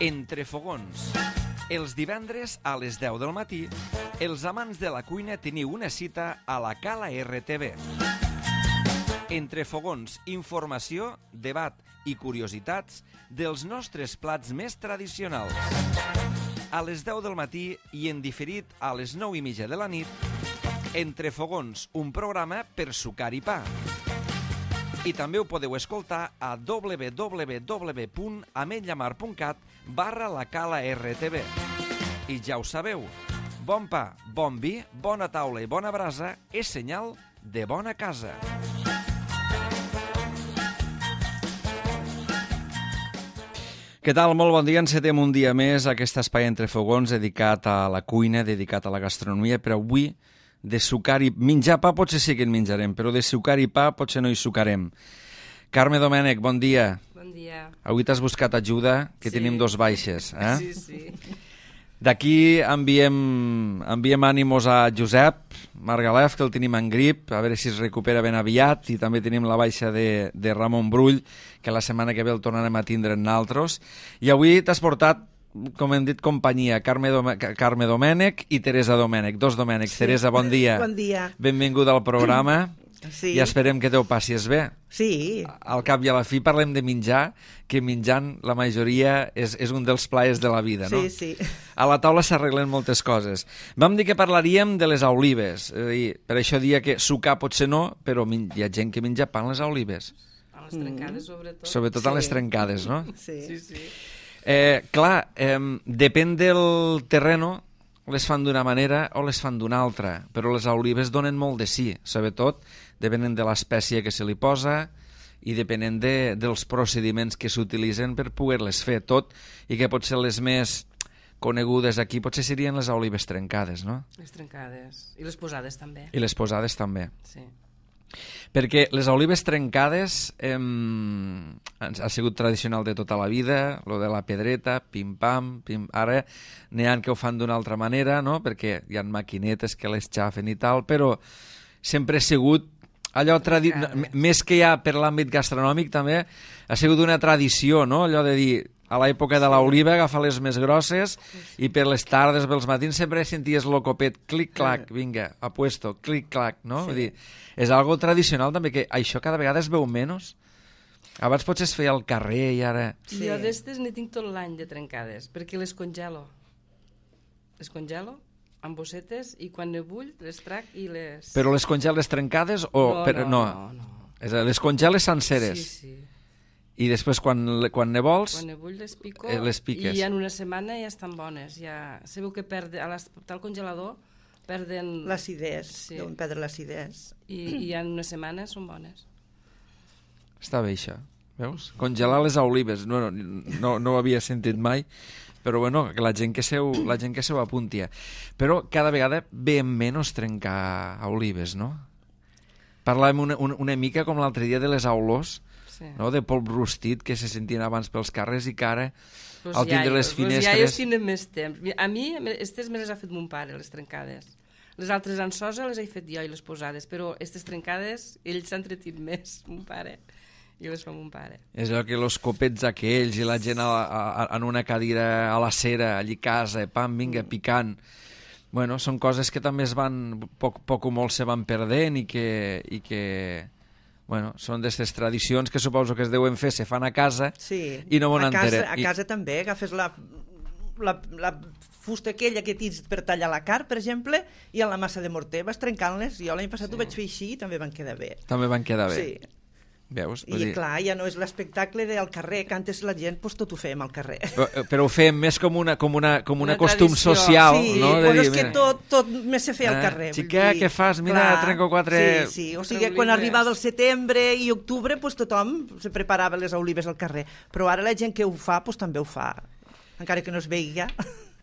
Entre fogons. Els divendres a les 10 del matí, els amants de la cuina teniu una cita a la Cala RTV. Entre fogons, informació, debat i curiositats dels nostres plats més tradicionals. A les 10 del matí i en diferit a les 9:30 de la nit, Entre fogons, un programa per sucar i pa. I també ho podeu escoltar a www.ametlllamar.cat/la Cala RTV. I ja ho sabeu, bon pa, bon vi, bona taula i bona brasa és senyal de bona casa. Què tal? Molt bon dia. Encetem un dia més aquest espai Entre fogons dedicat a la cuina, dedicat a la gastronomia, però avui de sucar i menjar pa potser sí que en menjarem, però de sucar i pa potser no hi sucarem. Carme Domènech, bon dia. Bon dia. Avui t'has buscat ajuda, que sí. Tenim dos baixes. Sí, sí. D'aquí enviem ànimos a Josep Margalef, que el tenim en grip, a veure si es recupera ben aviat, i també tenim la baixa de Ramon Brull, que la setmana que ve el tornarem a tindre en naltros. I avui t'has portat, com hem dit, companyia, Carme Domènech i Teresa Domènech, dos Domènech. Sí. Teresa, bon dia. Bon dia. Benvinguda al programa. Sí. I esperem que te ho passis bé. Sí. Al cap i a la fi parlem de menjar, que menjant la majoria és un dels plaers de la vida, no? Sí, sí. A la taula s'arreglen moltes coses. Vam dir que parlaríem de les olives, és a dir, per això dia que sucar potser no, però hi ha gent que menja pa en les olives. A les trencades, sobretot. Sobretot a les trencades, no? Sí. Sí, sí. Clar, depèn del terreno, les fan d'una manera o les fan d'una altra, però les olives donen molt de sí, sobretot depenent de l'espècie que se li posa i depenent dels procediments que s'utilitzen per poder-les fer tot, i que potser les més conegudes aquí potser serien les olives trencades, no? Les trencades. I les posades també. I les posades també. Sí. Perquè les olives trencades ha sigut tradicional de tota la vida, lo de la pedreta, pim-pam, ara n'hi ha que ho fan d'una altra manera, no? Perquè hi ha maquinetes que les xafen i tal, però sempre ha sigut allò més que ja per l'àmbit gastronòmic també ha sigut una tradició, no? Allò de dir, a l'època de l'oliva agafar les més grosses i per les tardes, pels matins sempre senties el copet, clic-clac, vinga, apuesto, clic-clac, no? Vull dir, és algo tradicional també, que això cada vegada es veu menys. Abans potser es feia al carrer i ara... Sí. Jo d'estes n'hi tinc tot l'any de trencades, perquè les congelo. Les congelo amb bossetes i quan ne vull les trac i les... Però les congeles trencades o... No. És a dir, les congeles senceres. Sí, sí. I després quan ne vols... Quan ne vull les pico les piques. I en una setmana ja estan bones. Ja sabeu que al congelador perden... L'acidesa, sí. deuen perdre l'acidesa. I en una setmana són bones. Està bé això, veus? Congelar les olives, no ho havia sentit mai, però bueno, que la gent que se ho apunti. Però cada vegada ve menys trencar olives, no? Parlàvem una mica com l'altre dia de les aulors, sí. No? De polp rostit que se sentien abans pels carrers i que ara al tindre les finestres... Els iaios tenen més temps. A mi, aquestes me les ha fet mon pare, les trencades. Les altres en sosa les he fet jo i les posades, però aquestes trencades, ells s'han entretit més, mon pare, i les fa mon pare. És allò que els copets aquells i la gent en una cadira a la cera, allí a casa, pam, vinga, picant. Bueno, són coses que també es van, poc o molt se van perdent i que bueno, són d'aquestes tradicions que suposo que es deuen fer, se fan a casa, sí. I no m'ho enterem. A casa també, agafes la fusta aquella que tens per tallar la carn, per exemple, i en la massa de morter vas trencant-les. Jo l'any passat ho vaig fer així i també van quedar bé. També van quedar bé. Sí. Veus? I clar, ja no és l'espectacle del carrer, que antes la gent pues, tot ho fèiem al carrer. Però ho fèiem més com una costum social, sí, no? Sí, però és que tot més se feia al carrer. Xica, què fas? Mira, trenco quatre... Sí, o sigui, quan arribava el setembre i octubre, pues, tothom se preparava les olives al carrer. Però ara la gent que ho fa, pues, també ho fa, encara que no es veiga.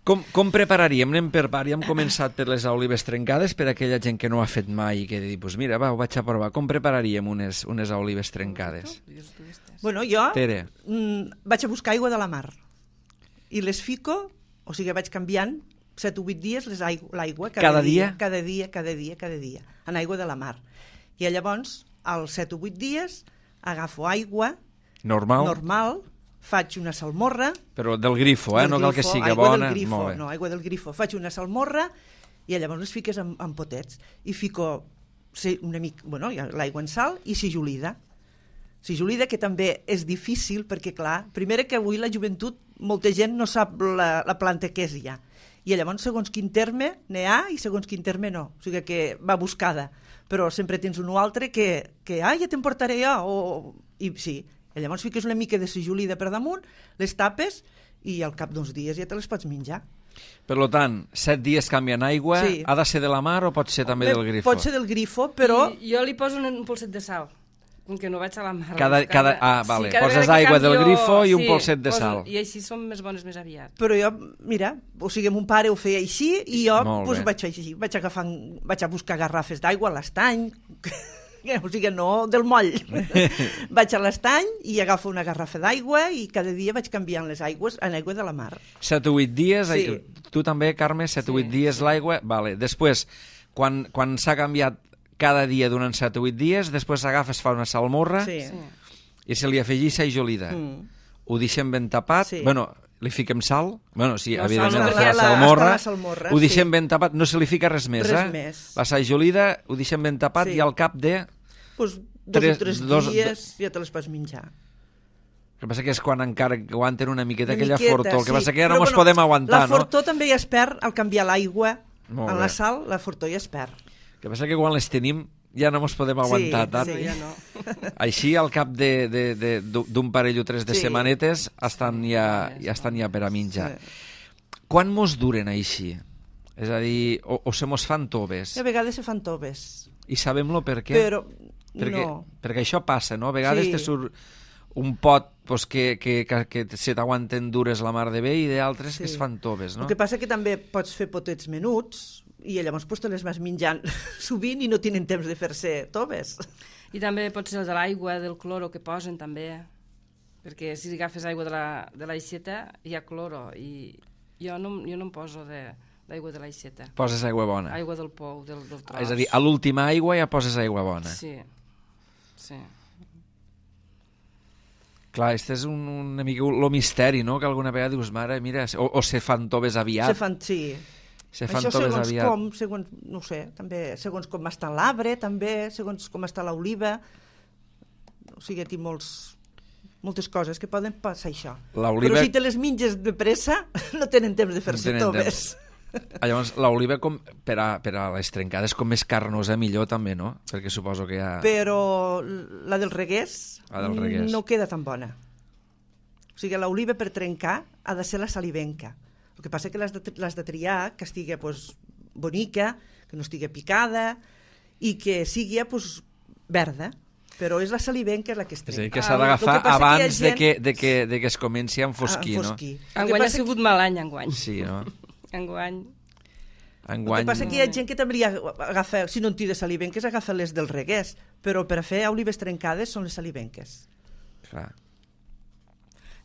Com prepararíem? Anem per part. Ja hem començat per les olives trencades, per aquella gent que no ho ha fet mai i que dir, pues mira, va, ho vaig a provar. Com prepararíem unes olives trencades? Bueno, jo Tere. Vaig a buscar aigua de la mar i les fico, o sigui, vaig canviant 7 o 8 dies l'aigua cada dia, en aigua de la mar. I llavors, als 7 o 8 dies, agafo aigua normal, faig una salmorra... Però del grifo, no cal que sigui bona. Aigua del grifo. Faig una salmorra i llavors les fiques en potets. I fico una mica, l'aigua en sal i sigilida. Sigilida, que també és difícil perquè, clar, primer que avui la joventut, molta gent no sap la planta que és ja. I llavors, segons quin terme n'hi ha i segons quin terme no. O sigui que va buscada. Però sempre tens un o altre que ja te'n portaré jo. I sí, i llavors fiques una mica de sigilida per damunt, les tapes i al cap d'uns dies ja te les pots menjar. Per tant, 7 dies canviant aigua, sí. Ha de ser de la mar o pot ser també del grifo? Pot ser del grifo, però... Jo li poso un polset de sal, com que no vaig a la mar. Vale. Poses aigua del grifo i un polset de sal. I així són més bones més aviat. Però jo, mira, o sigui, mon pare ho feia així i jo vaig fer així. Vaig a buscar garrafes d'aigua a l'estany, o sigui, no del moll. Vaig a l'estany i agafo una garrafa d'aigua i cada dia vaig canviant les aigües en aigua de la mar. 7 o 8 dies, sí. Tu també, Carme, 7 o 8 dies l'aigua. Vale. Després, quan s'ha canviat cada dia durant 7 o 8 dies, després s'agafa, es fa una salmorra i se li afegeix sajolida. Ho deixem ben tapat, li fiquem sal, evidentment la salmorra, ho deixem ben tapat, no se li fica res més, La sajolida ho deixem ben tapat i al cap de... 2 o 3 dies ja te les pots menjar. El que passa que és quan encara aguanten una miqueta aquella fortor, el que passa que ja no ens podem aguantar, no? La fortor també ja es perd al canviar l'aigua en la sal, la fortor ja es perd. El que passa que quan les tenim ja no ens podem aguantar tant. Sí, ja no. Així, al cap d'un parell o 3 de setmanetes, estan ja per a menjar. Quan mos duren així? És a dir, o se mos fan toves? A vegades se fan toves. I sabem-lo per què? Perquè això passa, no? A vegades te surt un pot que se t'aguanten dures la mar de bé i d'altres que es fan toves, no? El que passa que també pots fer potets menuts i llavors te les vas menjant sovint i no tenen temps de fer-se toves. I també pot ser de l'aigua, del cloro que posen també, perquè si agafes aigua de l'aixeta hi ha cloro i jo no em poso d'aigua de l'aixeta. Poses aigua bona? Aigua del pou, del tros. És a dir, a l'última aigua ja poses aigua bona? Sí. Clar, este és una mica el misteri, no?, que alguna vegada dius, mare, mira, o se fan toves aviat. Se fan toves aviat. Segons, no sé, també segons com està l'arbre, també, segons com està l'oliva. O sigui, tinc moltes coses que poden passar això. Però si te les menges de pressa, no tenen temps de fer-se toves. Llavors, l'oliva per a les trencades com més carnosa millor també, no? Perquè suposo que hi ha... Però la del regués no queda tan bona. O sigui, l'oliva per trencar ha de ser la salivenca. El que passa que l'has de triar que estigui bonica, que no estigui picada i que sigui verda. Però és la salivenca la que es trenca. És a dir, que s'ha d'agafar abans de que es comenci a enfosquir, no? Enguany ha sigut mal any, enguany. Sí, no? Enguany. El que passa que hi ha gent que també agafa, si no en té de salivenques, agafa les del regués, però per a fer olives trencades són les salivenques. Clar.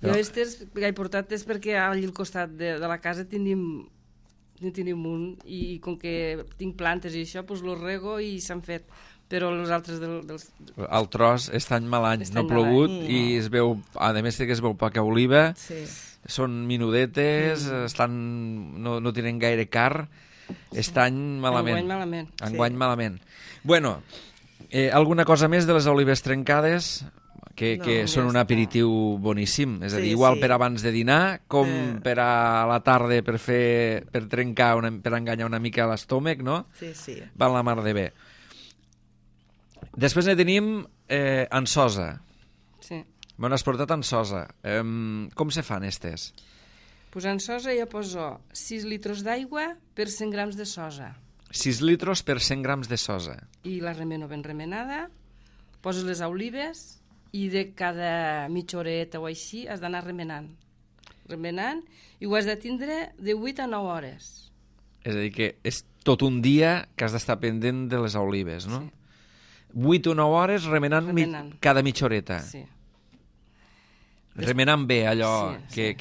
Jo aquestes que he portat és perquè allà al costat de la casa tenim un, i com que tinc plantes i això, doncs los rego i s'han fet. Però els altres El tros està en mal any, no ha plogut i es veu, a més que es veu poca oliva, són minudetes, no tenen gaire car, estan malament. Enguany malament. Bueno, alguna cosa més de les olives trencades, que són un aperitiu boníssim, és a dir, igual per abans de dinar com per a la tarda per trencar, per enganyar una mica l'estómac, no? Sí. Van la mar de bé. Després ne tenim ansosa. Sí. Me n'has portat ansosa. Com se fan estes? Pues ansosa jo poso 6 litres d'aigua per 100 grams de sosa. 6 litres per 100 grams de sosa. I la remeno ben remenada, poses les olives i de cada mitja horeta o així has d'anar remenant, i ho has de tindre de 8 a 9 hores. És a dir, que és tot un dia que has d'estar pendent de les olives, no? Sí. 8 o 9 hores remenant. Cada mitja horeta. Sí. Remenant bé allò sí.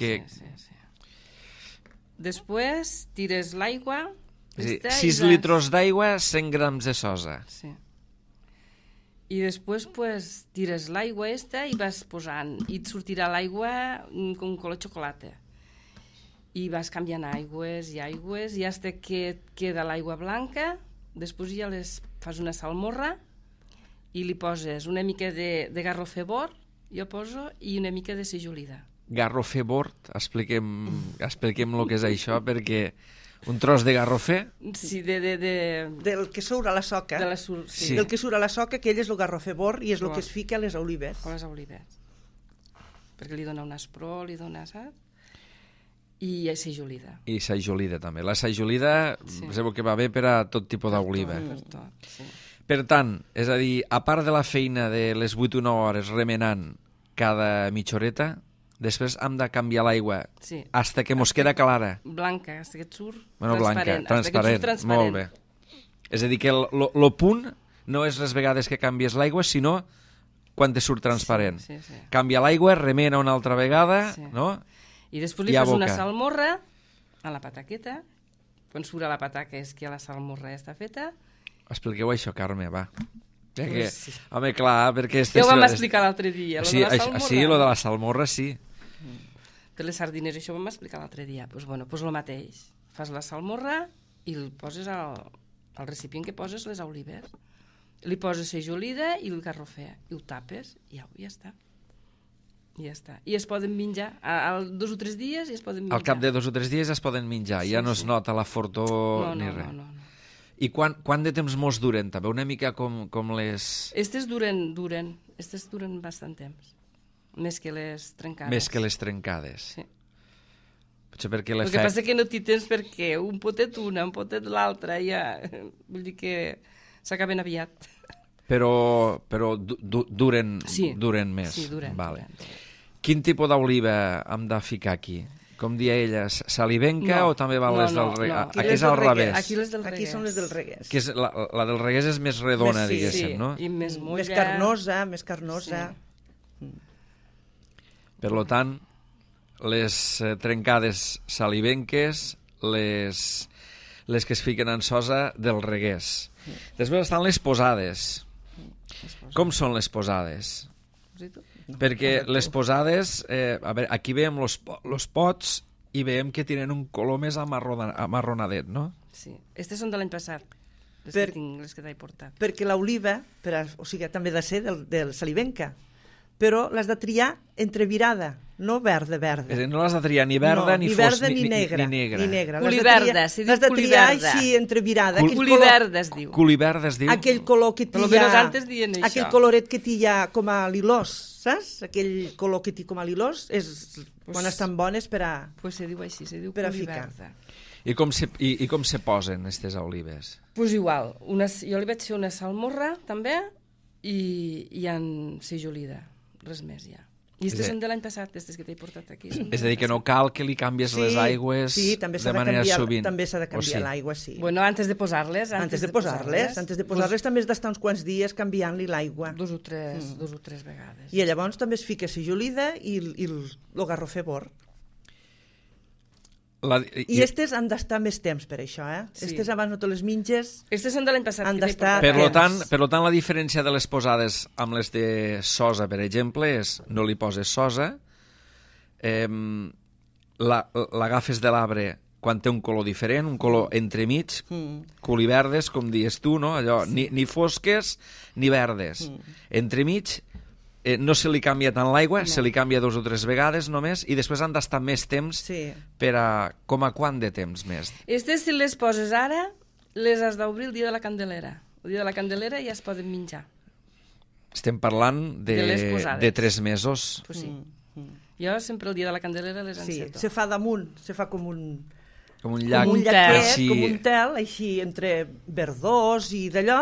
Després tires l'aigua. És a dir, 6 litres d'aigua, 100 grams de sosa. Sí. I després pues, tires l'aigua i vas posant, i et sortirà l'aigua com color xocolata. I vas canviant aigües i aigües, i fins que queda l'aigua blanca, després ja fas una salmorra i li poses una mica de garrofer bord, jo poso, i una mica de sejolida. Garrofer bord, expliquem el que és això, perquè un tros de garrofer... Sí, del que surt a la soca. Sí. Del que surt a la soca, aquell és el garrofer bord i és el que es fica a les olives. A les olives. Perquè li dona un aspró, li dona, saps? I sejolida. I sejolida, també. La sejolida sabeu que va bé per a tot tipus d'oliva. Per tot, sí. Per tant, és a dir, a part de la feina de les 8 o 9 hores remenant cada mitja horeta, després hem de canviar l'aigua hasta que mos queda clara. Blanca, hasta que et surt transparent. Molt bé. És a dir, que el punt no és les vegades que canvies l'aigua, sinó quan te surt transparent. Sí. Canvia l'aigua, remena una altra vegada, no? I després li fas una salmorra a la pataqueta. Quan surt a la pataca és que la salmorra ja està feta. Expliqueu això, Carme, va. Home, clar, perquè... Ja ho vam explicar l'altre dia, sí, lo de la salmorra, sí. Per les sardines, això ho vam explicar l'altre dia. Doncs el mateix. Fas la salmorra i el poses al recipient que poses les olives. Li poses sejolida i el garrofer. I ho tapes i ja està. I ja està. I es poden menjar. Al 2 o 3 dies i es poden menjar. Al cap de 2 o 3 dies es poden menjar. Ja no es nota la fortor ni res. No. I quant de temps mos duren? També una mica com les... Estes duren. Estes duren bastant temps. Més que les trencades. Més que les trencades. Sí. Potser perquè el que passa que no t'hi tens perquè un potet una, un potet l'altra, ja... Vull dir que s'acaben aviat. Però duren més. Sí, duren. Vale. Quin tipus d'oliva hem de ficar aquí? Com dia ella, salivenca o també van les del regués? Aquí és al revés. Aquí són les del regués. Que és la del regués és més redona, diguéssim, no? I més molla. Més carnosa. Sí. Per tant, les trencades salivenques, les que es fiquen en sosa del regués. Després estan les posades. Com són les posades? Perquè les posades, a veure, aquí veiem los pots i veiem que tenen un color més amarronadet, no? Sí, aquestes són de l'any passat, les que t'he portat. Perquè l'oliva, o sigui, també ha de ser del salivenca, però l'has de triar entrevirada, no verda. És a dir, no l'has de triar ni verda, ni verda, ni negra. Culiverda, s'hi diu culiverda. L'has de triar així entrevirada. Culiverda es diu. Culiverda es diu. Aquell color que t'hi ha... antes dient això. Aquell coloret que t'hi ha com a lilós, saps? Aquell color que t'hi com a lilós és quan estan bones per a... Pues se diu així, se diu culiverda. I com se posen aquestes olives? Pues igual, jo li vaig fer una salmorra també i en sejolida. Res més, ja. I aquestes són de l'any passat, aquestes que t'he portat aquí. És a dir, que no cal que li canvies les aigües de manera sovint. També s'ha de canviar l'aigua, sí. Bueno, antes de posar-les. Antes de posar-les també has d'estar uns quants dies canviant-li l'aigua. 2 o 3 vegades. I llavors també es fica sejolida i el garrofer bord. I aquestes han d'estar més temps per això, Aquestes abans no te les menges. Aquestes són de l'any passat. Per tant, la diferència de les posades amb les de sosa, per exemple, és no li poses sosa, l'agafes de l'arbre quan té un color diferent, un color entremig, culiverdes, com dius tu, no? Allò, ni fosques ni verdes. Entremig, no se li canvia tant l'aigua, se li canvia 2 o 3 vegades només, i després han d'estar més temps per a... Com a quant de temps més? Aquestes, si les poses ara, les has d'obrir el dia de la Candelera. El dia de la Candelera ja es poden menjar. Estem parlant de 3 mesos. Pues sí. Jo sempre el dia de la Candelera les enceto. Se fa damunt, se fa com un... Com un llac. Com un llaquet, com un tel, així entre verdós i d'allò,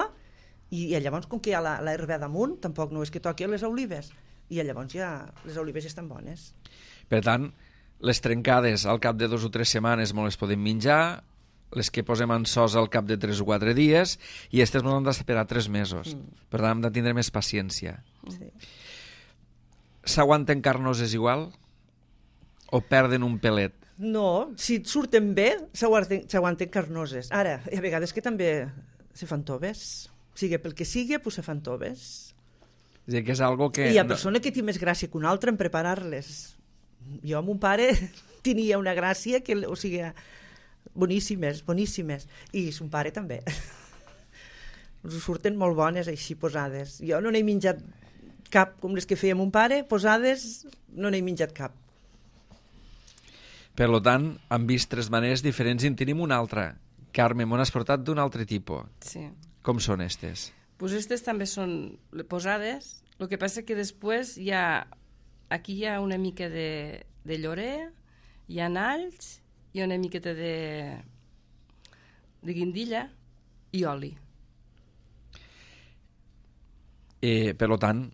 i llavors, com que hi ha l'herba damunt, tampoc no és que toqui les olives, i llavors ja les olives ja estan bones. Per tant, les trencades al cap de 2 o 3 setmanes no les podem menjar, les que posem en sosa al cap de 3 o 4 dies, i aquestes no han d'esperar 3 mesos. Per tant, hem de tindre més paciència. S'aguanten carnoses igual? O perden un pelet? No, si et surten bé, s'aguanten carnoses. Ara, hi ha vegades que també se fan toves. Sigui pel que sigui, pues se fan toves. És a dir, que és algo que... I hi ha persona que té més gràcia que una altra en preparar-les. Jo, mon pare, tenia una gràcia que, o sigui, boníssimes, boníssimes. I son pare també. Us surten molt bones així posades. Jo no n'he menjat cap com les que feia mon pare, posades no n'he menjat cap. Per tant, han vist 3 maneres diferents i en tenim una altra. Carme, m'ho has portat d'un altre tipus. Sí. Com són estes? Pues aquestes també són posades, el que passa que després aquí hi ha una mica de llorer, hi ha alls, hi ha una miqueta de guindilla i oli. Per tant,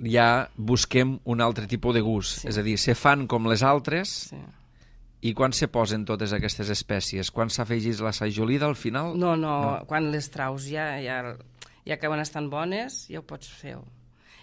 ja busquem un altre tipus de gust. Sí. És a dir, se fan com les altres. Sí. I quan se posen totes aquestes espècies? Quan s'afegís la sajolida al final? No, quan les traus ja acaben estant bones, ja ho pots fer.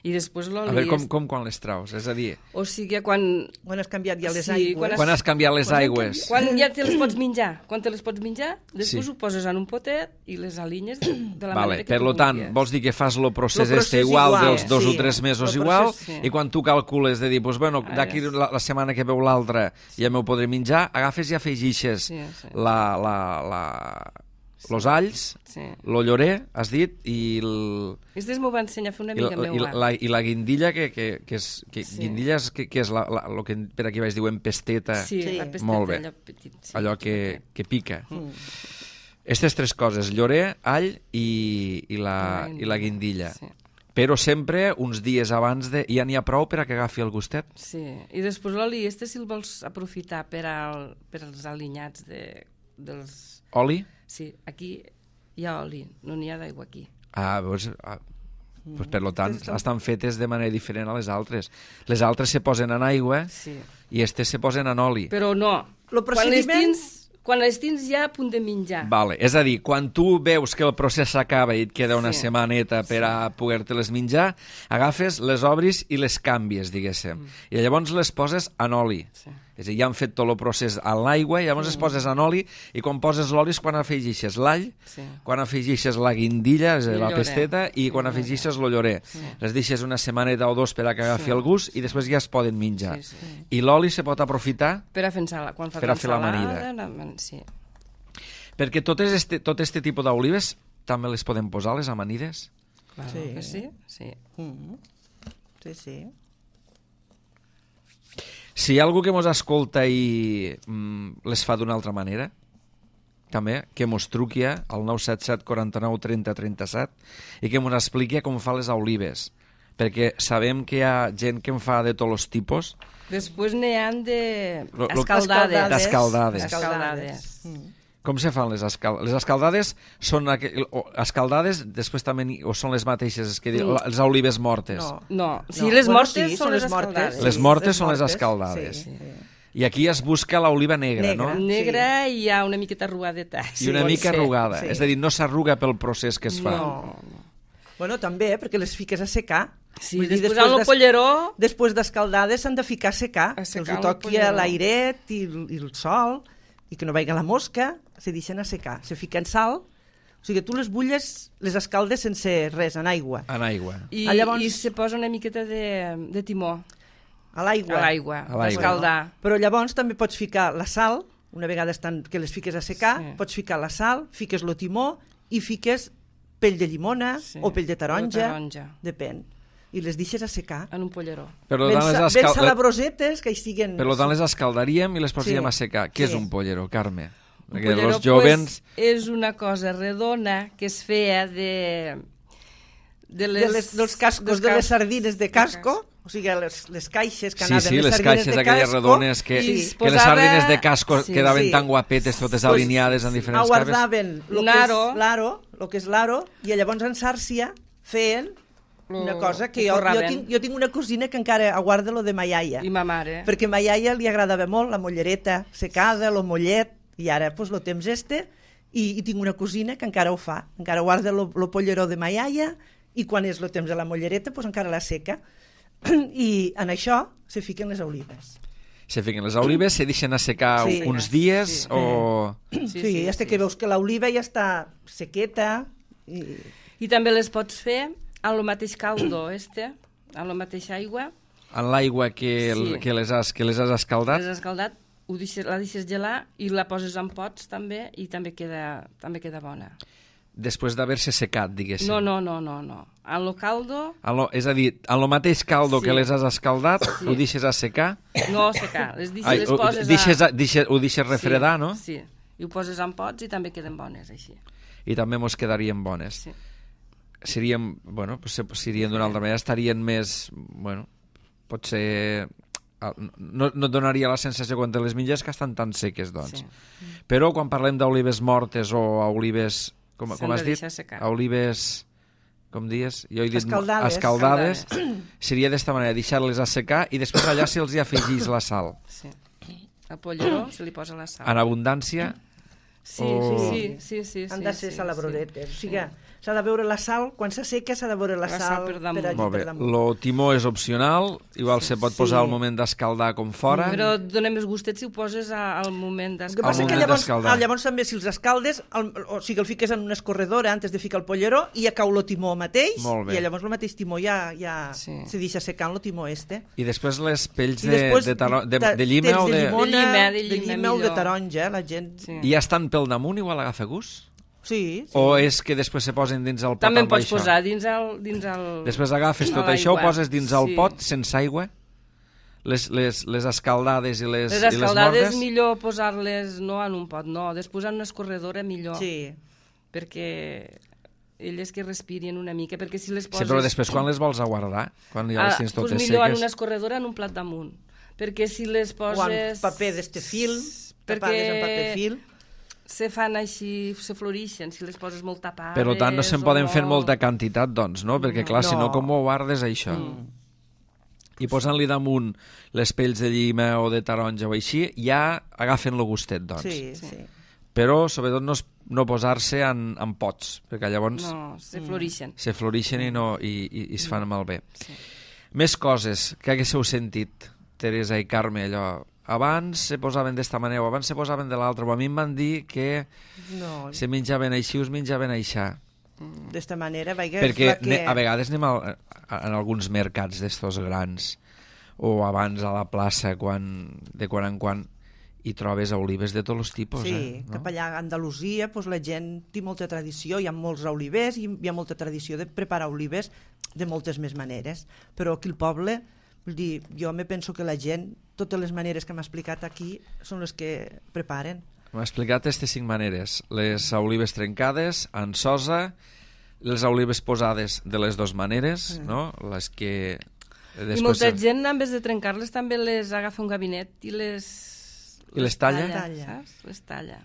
I després l'oli... A veure, com quan les traus? És a dir... O sigui, quan... Quan has canviat ja les Sí, aigües. Quan has canviat les aigües? Quan ja te les pots menjar. Quan te les pots menjar, després Sí. ho poses en un potet i les alinyes de la Vale, manera que per tu lo tant, vulguis. vols dir que fas el procés, Lo procés igual igual, dels 2 sí. o 3 mesos Lo igual, procés, sí. i quan tu calcules de dir, doncs, bueno, d'aquí la setmana que veu l'altra ja m'ho podré menjar, agafes i afegixes Sí. los alls, Sí. lo llorer, has dit, i Aquestes m'ho va ensenyar a fer una amiga meva. la guindilla, que és... Sí. Guindilla és, que és el que per aquí vaig diuen pesteta, Sí, Sí. la pesteta, Molt bé. allò petit. Sí, allò que pica. Mm. Aquestes 3 coses, llorer, all i la guindilla. Sí. Però sempre uns dies abans ja n'hi ha prou per a que agafi el gustet. Sí, i després l'oli, si el vols aprofitar per als alinyats dels... Oli? Sí, aquí hi ha oli, no n'hi ha d'aigua aquí. Doncs, per tant, estan fetes de manera diferent a les altres. Les altres se posen en aigua Sí. i aquestes se posen en oli. Però no, Lo procediment- quan les tens ja a punt de menjar. Vale. És a dir, quan tu veus que el procés s'acaba i et queda una Sí. setmaneta per a poder-te-les menjar, agafes, les obris i les canvies, diguéssim. I llavors les poses en oli. Sí. És a dir, ja han fet tot el procés a l'aigua i llavors es poses en oli i quan poses l'oli és quan afegixes l'all, Sí. quan afegixes la guindilla, és a dir, El la llorer. pesteta, i quan afegixes el llorer. Les deixes una setmaneta o 2 per a que agafi el gust i després ja es poden menjar. Sí, sí. I l'oli se pot aprofitar Per a fer quan fas Per a fer l'ensalada, l'amanida. Sí. perquè tot este tipus d'olives també les podem posar, les amanides. Claro Sí. que sí, sí. Sí, sí. Si hi ha algú que mos escolta i les fa d'una altra manera, també, que mos truqui al 977 49 30 37 i que mos expliqui com fa les olives, perquè sabem que hi ha gent que en fa de tots els tipus. Després n'hi han de Lo- escaldades. D'escaldades. Escaldades. Com se fan les escaldades? Les escaldades són escaldades, després també o són les mateixes, que les olives mortes. No. No, sí, No, les bueno, mortes sí, són les mortes. escaldades. Les mortes són les escaldades. Sí, sí. I aquí es busca l'oliva negra, Negra. no? Negra i hi ha una miqueta arrugadeta. I una pot mica ser. arrugada. sí. És a dir, no s'arruga pel procés que es fa. No. Bueno, també, perquè les fiques a secar. Sí, Vull dir, després en el polleró... Després d'escaldades s'han de ficar a secar, A que secar els el ho toqui polleró. a l'airet i el sol, i que no vagi la mosca, se deixen a secar. Se fiquen sal, o sigui, tu les bulles, les escaldes sense res, en aigua. En aigua. I, Llavors- i se posa una miqueta de timó A l'aigua. a l'aigua, A l'aigua. escaldar. Però llavors també pots ficar la sal, una vegada estan, que les fiques a secar, Sí. pots ficar la sal, fiques el timó i fiques pell de llimona Sí. o pell de taronja, O taronja. depèn. I les deixes a secar. En un polleró. Per Ben, tant, ben salabrosetes, que hi estiguen... per tant, les escaldaríem i les posaríem Sí. a secar. Què és Sí. un pollero, Carme? Un Perquè polleró, els jovens... és una cosa redona que es feia dels cascos de les sardines de casco, o sigui, les caixes que Sí, anaven sí, les sardines caixes de aquelles casco, redones que, i que es les posava- sardines de casco Sí, quedaven sí. tan guapetes, totes Pues, alineades en diferents caves. aguardaven Un aro. lo que és l'aro, i llavors en Sàrcia feien una cosa que ho jo forraven. tinc una cosina que encara aguarda lo de ma iaia, I ma mare. perquè a ma iaia li agradava molt la mollereta secada, lo mollet, i ara pues, lo temps i tinc una cosina que encara ho fa, encara guarda lo polleró de ma iaia, i quan és lo temps de la mollereta pues, encara la seca. I en això se fiquen les olives. Se fiquen les olives, se deixen assecar Sí. uns dies Sí. o... Sí, hasta que veus que l'oliva ja està sequeta. I també les pots fer amb el mateix caldo, amb la mateixa aigua. En l'aigua que les has escaldat? Les has escaldat, la deixes gelar i la poses en pots també i també queda bona. Després d'haver-se secat, diguéssim. No. En lo caldo... És a dir, en el mateix caldo que les has escaldat, ho deixes a secar? No secar, les poses ho deixes refredar, no? Sí, i ho poses en pots i també queden bones, així. I també mos quedarien bones. Sí. Serien d'una altra manera, estarien més... Bueno, potser... No et donaria la sensació quan te les menges que estan tan seques, doncs. Sí. Però quan parlem d'olives mortes o olives... Com has dit? Olives... Com dius? Jo he dit escaldades. Seria d'esta manera, deixar-les a secar i després allà se'ls hi afegís la sal. Sí. Al polleró se li posa la sal. En abundància? Sí. Han de ser salabrodetes. O sigui, s'ha de veure la sal, quan s'asseca s'ha de veure la sal per damunt. Molt bé, el timó és opcional, igual se pot posar al moment d'escaldar com fora. Però dona més gustet si ho poses al moment d'escaldar. El que passa que llavors també si els escaldes, o sigui, el fiques en una escorredora antes de ficar el polleró i ja cau el timó mateix, i llavors el mateix timó ja se deixa secant el timó este. I després les pells de llima o de... De llima o de taronja, la gent... I ja estan pel damunt, igual agafa gust? Sí. O és que després se posen dins el pot també amb això? També pots posar dins el... Després agafes tot això, ho poses dins el pot sense aigua? Les escaldades i les mortes? Les escaldades millor posar-les no en un pot, no. Després en una escorredora millor. Sí. Perquè elles que respirin una mica, perquè si les poses... Sí, però després quan les vols aguardar? Quan ja les tens totes seques? Millor en una escorredora en un plat damunt. Perquè si les poses... O en paper d'este fil, tapades en paper fil... Se fan així, se florixen, si les poses molt tapades... Per tant, no se'n poden fer molta quantitat, doncs, no? Perquè, clar, si no, com ho guardes, això? I posant-li damunt les pells de llima o de taronja o així, ja agafen el gustet, doncs. Sí. Però, sobretot, no posar-se en pots, perquè llavors... No, se florixen. Se florixen i es fan malbé. Sí. Més coses que haguéssiu sentit, Teresa i Carme, allò... Abans se posaven d'esta manera o abans se posaven de l'altra, o a mi em van dir que se menjaven així o es menjaven aixà. D'esta manera, perquè a vegades anem en alguns mercats d'estos grans o abans a la plaça de quan en quan i trobes olives de tots els tipus. Sí, no? Cap allà a Andalusia la gent té molta tradició, hi ha molts olivers i hi ha molta tradició de preparar olives de moltes més maneres, però aquí al poble... Vull dir, jo me penso que la gent, totes les maneres que m'ha explicat aquí, són les que preparen. M'ha explicat aquestes 5 maneres. Les olives trencades, en sosa, les olives posades de les 2 maneres, no? Les que... I molta gent, en vez de trencar-les, també les agafa un gabinet i les... I les talla? Saps? Les talla.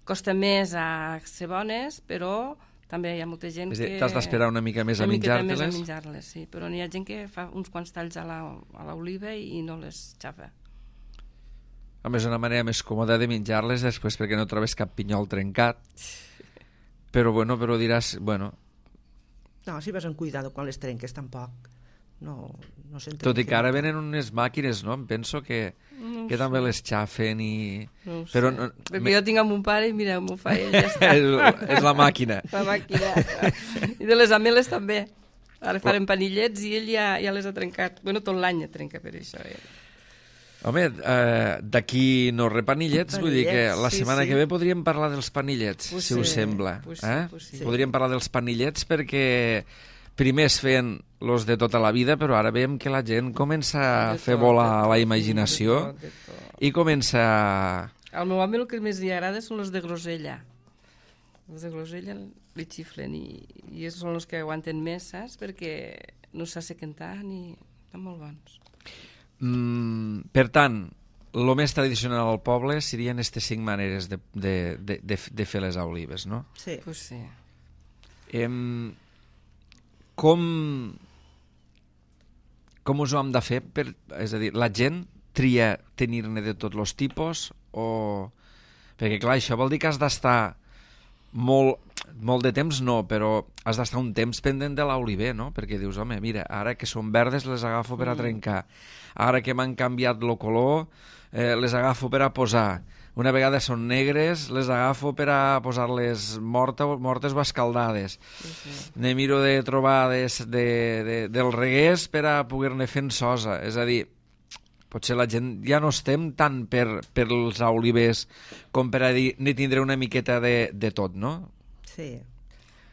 Costa més a ser bones, però... També hi ha molta gent que... T'has d'esperar una mica més a menjar-te-les? Una mica més a menjar-les, sí. Però n'hi ha gent que fa uns quants talls a l'oliva i no les xafa. A més, una manera més còmoda de menjar-les després perquè no trobes cap pinyol trencat. Però diràs... No, si vas amb cuidado quan les trenques, tampoc. No s'entrenquen. Tot i que ara venen unes màquines, no? Em penso que també les xafen i... No ho sé. Però perquè jo tinc amb un pare i mira, m'ho fa ell, ja està. És la màquina. La màquina. I de les ameles també. Ara farem panillets i ell ja les ha trencat. Bueno, tot l'any trenca per això. Home, d'aquí no repanillets, vull dir que la setmana que ve podríem parlar dels panillets, si us sembla. Podríem parlar dels panillets perquè primer es feien los de tota la vida, però ara veiem que la gent comença a fer volar la imaginació i comença... Al meu home el que més li agrada són els de grosella. Els de grosella li xiflen i són els que aguanten més, saps? Perquè no s'assequen tant i estan molt bons. Per tant, el més tradicional al poble serien aquestes 5 maneres de fer les olives, no? Sí. Pues sí. Com us ho hem de fer? És a dir, la gent tria tenir-ne de tots els tipus o... Perquè, clar, això vol dir que has d'estar molt de temps, no, però has d'estar un temps pendent de l'oliver, no? Perquè dius, home, mira, ara que són verdes les agafo per a trencar. Ara que m'han canviat el color, les agafo per a posar. Una vegada són negres, les agafo per a posar-les mortes o escaldades. Ne miro de trobar del reguers per a poder-ne fent sosa. És a dir, potser la gent ja no estem tant per els olives com per a dir ni tindré una miqueta de tot, no? Sí.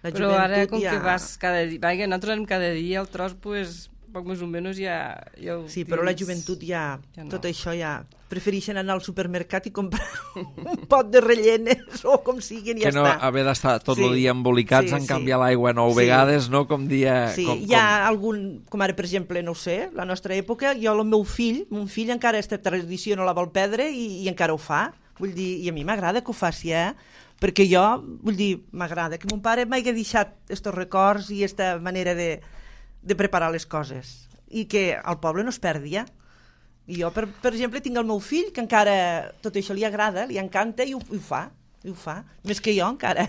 La Però ara, joventut com ja... que vas cada dia... Vaja, nosaltres anem cada dia, el tros, pues, poc més o menys ja ho Sí, però la joventut ja no. tot això ja... Prefereixen anar al supermercat i comprar un pot de rellenes o com siguin i ja està. Que no haver d'estar tot el dia embolicats en canviar l'aigua 9 vegades, no? Com dia... Sí, hi ha algun... Com ara, per exemple, no ho sé, la nostra època, jo el meu fill, mon fill encara aquesta tradició no la vol perdre i encara ho fa. Vull dir, i a mi m'agrada que ho faci, perquè jo, vull dir, m'agrada que mon pare m'hagi deixat estos records i esta manera de preparar les coses i que al poble no es perdi, I jo, per exemple, tinc el meu fill que encara tot això li agrada, li encanta i ho fa, més que jo encara.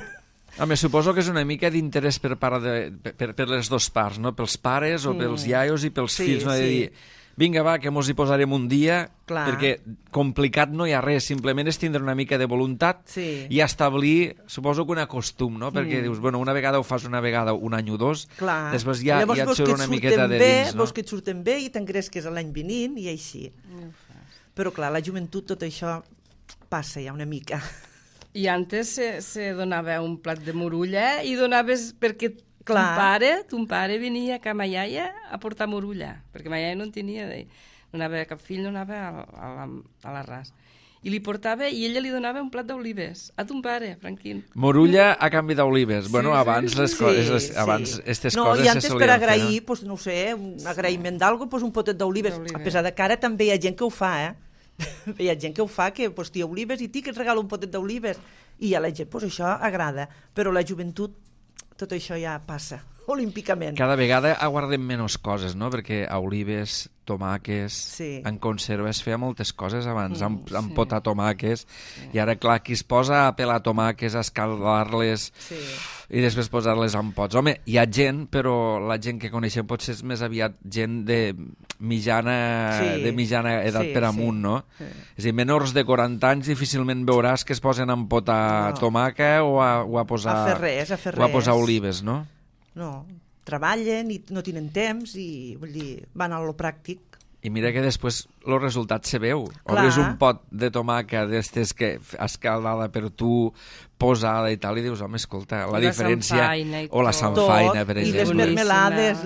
Home, suposo que és una mica d'interès per les dues parts, no? Pels pares o pels iaios i pels fills, no? De dir, vinga, va, que mos hi posarem un dia, perquè complicat no hi ha res, simplement és tindre una mica de voluntat i establir, suposo que un costum, no? Perquè dius, bueno, una vegada ho fas una vegada, un any o dos, després ja et surt una miqueta de dins, no? Vols que et surten bé i t'engresques l'any venint i així. Però clar, la joventut tot això passa ja una mica. I antes se donava un plat de morulla i donaves perquè ton pare venia a ma iaia a portar morulla, perquè ma iaia no en tenia, no anava, cap fill no anava a l'arràs. I li portava, i ella li donava un plat d'olives a ton pare, Franquín. Morulla a canvi d'olives. Bueno, abans les coses, abans aquestes coses se solien fer. No, i antes per agrair, pues, no sé, un agraïment d'algo, pues, un potet d'olives. A pesar de que ara també hi ha gent que ho fa, Hi ha gent que ho fa, que pues, t'hi ha olives i que et regala un potet d'olives. I a la gent, pues, això agrada. Però la joventut, tot això ja passa olímpicament. Cada vegada aguardem menys coses, no? Perquè a olives, tomàquets, en conserva es feia moltes coses abans, amb potar tomàquets, i ara, clar, qui es posa a pelar tomàquets, a escaldar-les i després posar-les en pots. Home, hi ha gent, però la gent que coneixem potser és més aviat gent de mitjana edat per amunt, no? És a dir, menors de 40 anys difícilment veuràs que es posen a empotar tomàquet o a posar olives, no? No, treballen i no tenen temps i vull dir, van a lo pràctic. I mira que després el resultat se veu. Obres un pot de tomàquet d'estes que escaldada per tu, posada i tal, i dius, home, escolta, la diferència... O la samfaina, per exemple. I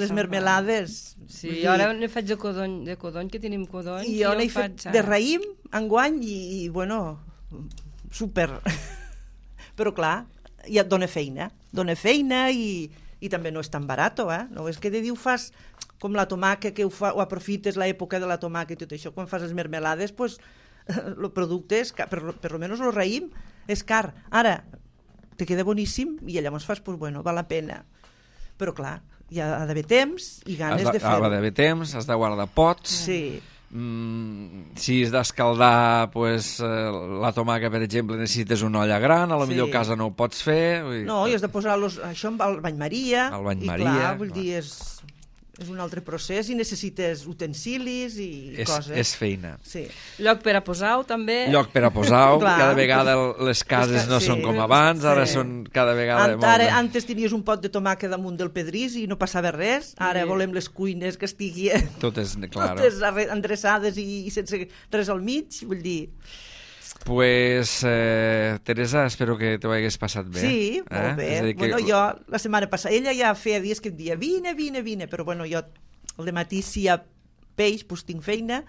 les mermelades. Sí, jo ara ne faig de codony, que tenim codony. I jo n'he fet de raïm, enguany, i bueno, super. Però clar, ja et dona feina i també no és tan barat, no és que de dir ho fas com la tomàquet, que ho aprofites l'època de la tomàquet i tot això, quan fas les mermelades, pues, el producte és car, per lo menos el raïm és car. Ara, te queda boníssim i llavors fas, pues bueno, val la pena. Però clar, hi ha d'haver temps i ganes de fer-ho. Ha d'haver temps, has de guardar pots. Sí. Si has d'escaldar la tomàquet, per exemple, necessites una olla gran, a lo millor a casa no ho pots fer. No, i has de posar això al bany Maria. I clar, vull dir, és un altre procés i necessites utensilis i coses. És feina. Sí. Lloc per a posar-ho, també. Lloc per a posar-ho. Cada vegada les cases no són com abans, ara són cada vegada... Antes tenies un pot de tomàquet damunt del pedrís i no passava res. Ara volem les cuines que estiguin totes endreçades i sense res al mig, vull dir... Pues, Teresa, espero que t'ho hagués passat bé. Sí, molt bé. Bueno, jo la setmana passada, ella ja feia dies que em dia vine, però bueno, jo al dematí si hi ha peix, doncs tinc feina,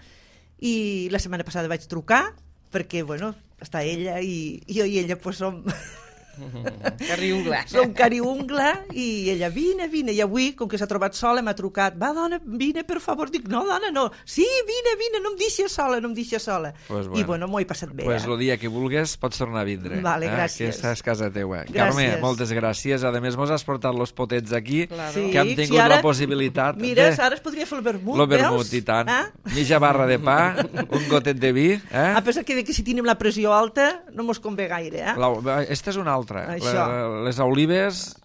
i la setmana passada vaig trucar, perquè, bueno, està ella i jo i ella pues som... Cariungla. Som cariungla i ella, vine, i avui, com que s'ha trobat sola, m'ha trucat, va, dona, vine, per favor. Dic, no, dona, no. Sí, vine, no em deixes sola. Pues bueno. I bueno, m'ho he passat bé. Pues el dia que vulgues pots tornar a vindre. Vale, gràcies. Aquesta és casa teua. Gràcies. Carme, moltes gràcies. A més, mos has portat los potets aquí, claro. Que hem tingut la possibilitat... Mira, ara es podria fer el vermut, veus? El vermut, i tant. Mitja barra de pa, un gotet de vi. A pesar que si tenim la pressió alta, no mos convé gaire. Esta és una altra. Això. Les olives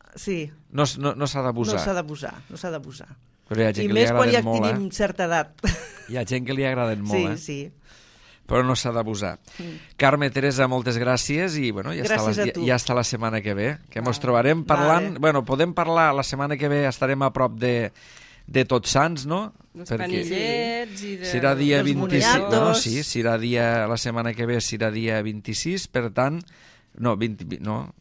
no s'ha d'abusar. No s'ha d'abusar. Però hi ha gent I que li més quan ja molt, tenim certa edat. Hi ha gent que li agraden molt, Sí. però no s'ha d'abusar. Carme, Teresa, moltes gràcies i bueno, ja està la setmana que ve, que ens trobarem parlant... Bueno, podem parlar, la setmana que ve estarem a prop de Tots Sants, no? Dels panillets i serà dia dels 26, moniatos. no, sí, serà dia, la setmana que ve serà dia 26, per tant, no, 20, no,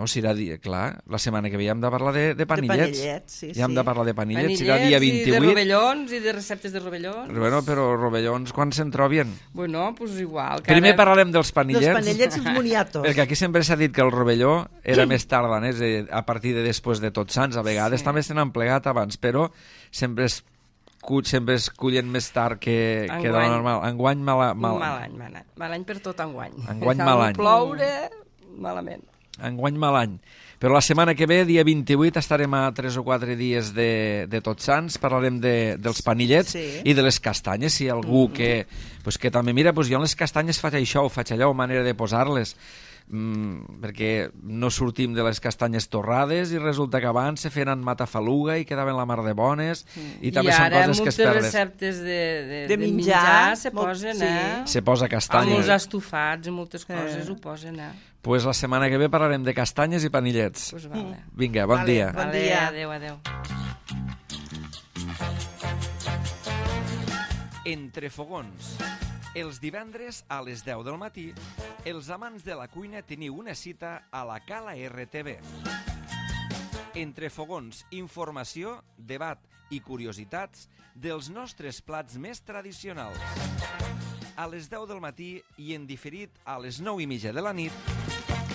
serà dia, clar, la setmana que ve ja hem de parlar de panillets. Sí, ja hem de parlar de panillets, serà panillets dia 28. I de rovellons i de receptes de rovellons. Bueno, però rovellons quan se'n trobien? Bueno, pues igual. Primer parlarem dels panillets. Dels panellets i els moniatos. Perquè aquí sempre s'ha dit que el rovelló era més tardanès, a partir de després de Tots Sants. A vegades també se n'han plegat abans, però sempre es cullen més tard que de la normal. Enguany mal any per tot enguany. Enguany mal any. Ploure, malament. Enguany mal any. Però la setmana que ve, dia 28, estarem a 3 o 4 dies de Tots Sants, parlarem dels panillets i de les castanyes, si hi ha algú que també, mira, jo en les castanyes faig això o faig allò, manera de posar-les, perquè no sortim de les castanyes torrades i resulta que abans se feien en matafaluga i quedaven la mar de bones i també són coses que es perden. I ara moltes receptes de menjar se posen, se posa castanya. Amb els estofats i moltes coses ho posen, Pues la setmana que ve parlarem de castanyes i panillets. Pues vale. Vinga, bon dia. Bon dia. Adéu. Entre fogons. Els divendres a les 10 del matí, els amants de la cuina teniu una cita a la Cala RTV. Entre fogons, informació, debat i curiositats dels nostres plats més tradicionals. A les 10 del matí i en diferit a les 9:30 de la nit,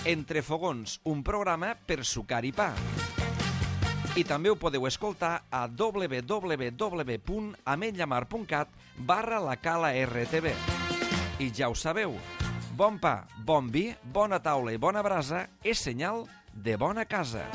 Entre fogons, un programa per sucar i pa. I també ho podeu escoltar a www.ametlllamar.cat/la Cala RTV. I ja ho sabeu, bon pa, bon vi, bona taula i bona brasa és senyal de bona casa.